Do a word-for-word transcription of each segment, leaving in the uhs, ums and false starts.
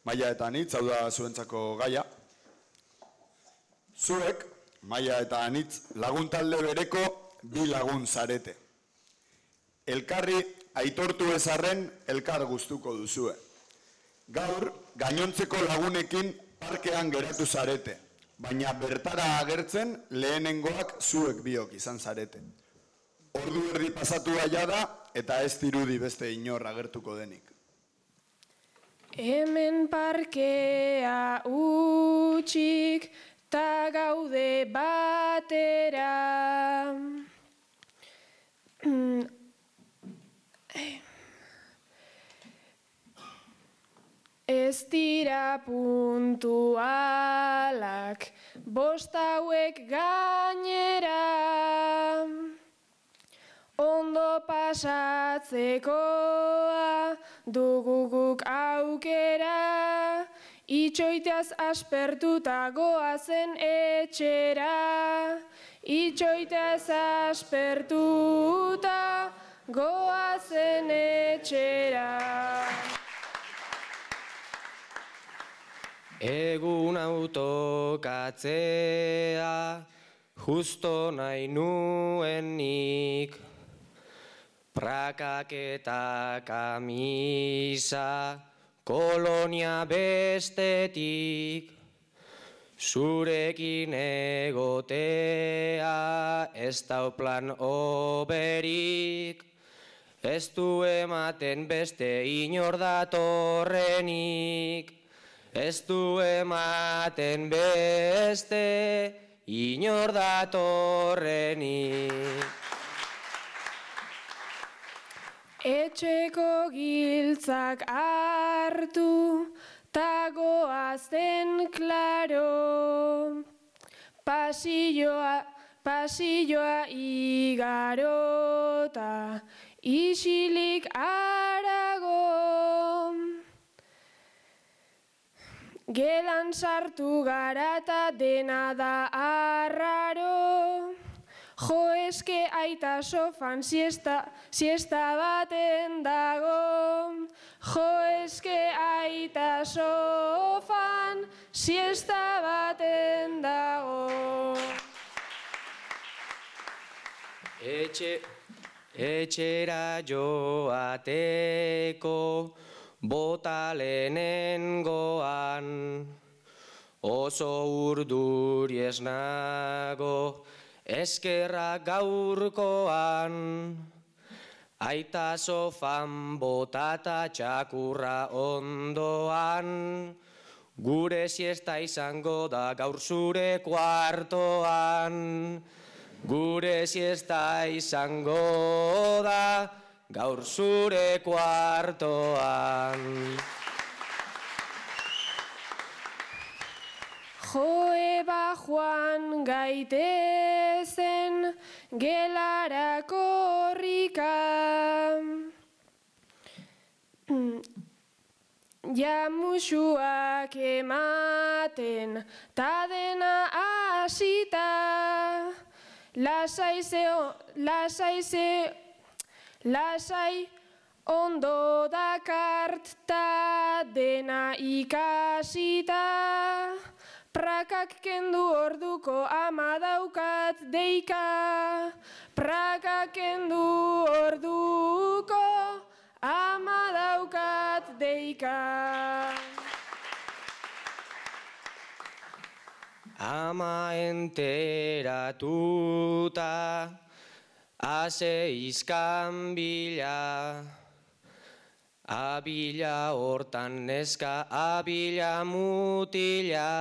Maia eta Anitz, hau da zuentzako gaia. Zuek, Maia eta Anitz, lagun talde bereko bi lagun zarete. Elkarri aitortu ezarren elkar gustuko duzue. Gaur, gainontzeko lagunekin parkean geratu zarete, baina bertara agertzen lehenengoak zuek biok izan zarete. Ordu erdi pasatu aia da eta ez dirudi beste inor agertuko denik. Hemen parkea utxik ta gaude batera. Ez dira puntualak bost hauek gainera. Ondo pasatzekoa duguguk aukera, itxoiteaz aspertuta goazen etxera. Itxoiteaz aspertuta goazen etxera. Egun autokatzea justo nahi nuenik, prakak eta kamisa kolonia bestetik, zurekin egotea ez dau plan oberik, ez du ematen beste inor datorrenik, ez du ematen beste inor datorrenik. Etxeko giltzak hartu, ta goazen klaro. Pasilloa, pasilloa igarota, isilik arago. Gelan sartu gara ta dena da arraro. Jo eske aita sofan siesta, siesta baten dago. Jo eske aita sofan siesta baten dago. Etxe, etxera joateko bota lehenengoan, oso urduri ez nago eskerra gaurkoan. Aita sofan botata txakurra ondoan, gure siesta izango da gaur zure kuartoan. Gure siesta izango da gaur zure kuartoan. Joeba joan gaitezen gelara korrika. Jamusuak ematen ta dena hasita. Lasai zeo, lasai zeo, lasai ondo dakart ta dena ikasita. Prakak kendu orduko ama daukat deika. Prakak kendu orduko ama daukat deika. Ama enteratuta ase izkan bila, abila hortan neska, abila mutila.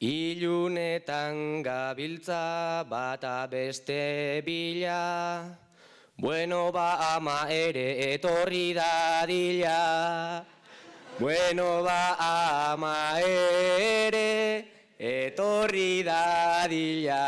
Ilunetan gabiltza bata beste bila, bueno ba ama ere etorri dadila. Bueno ba ama ere etorri dadila.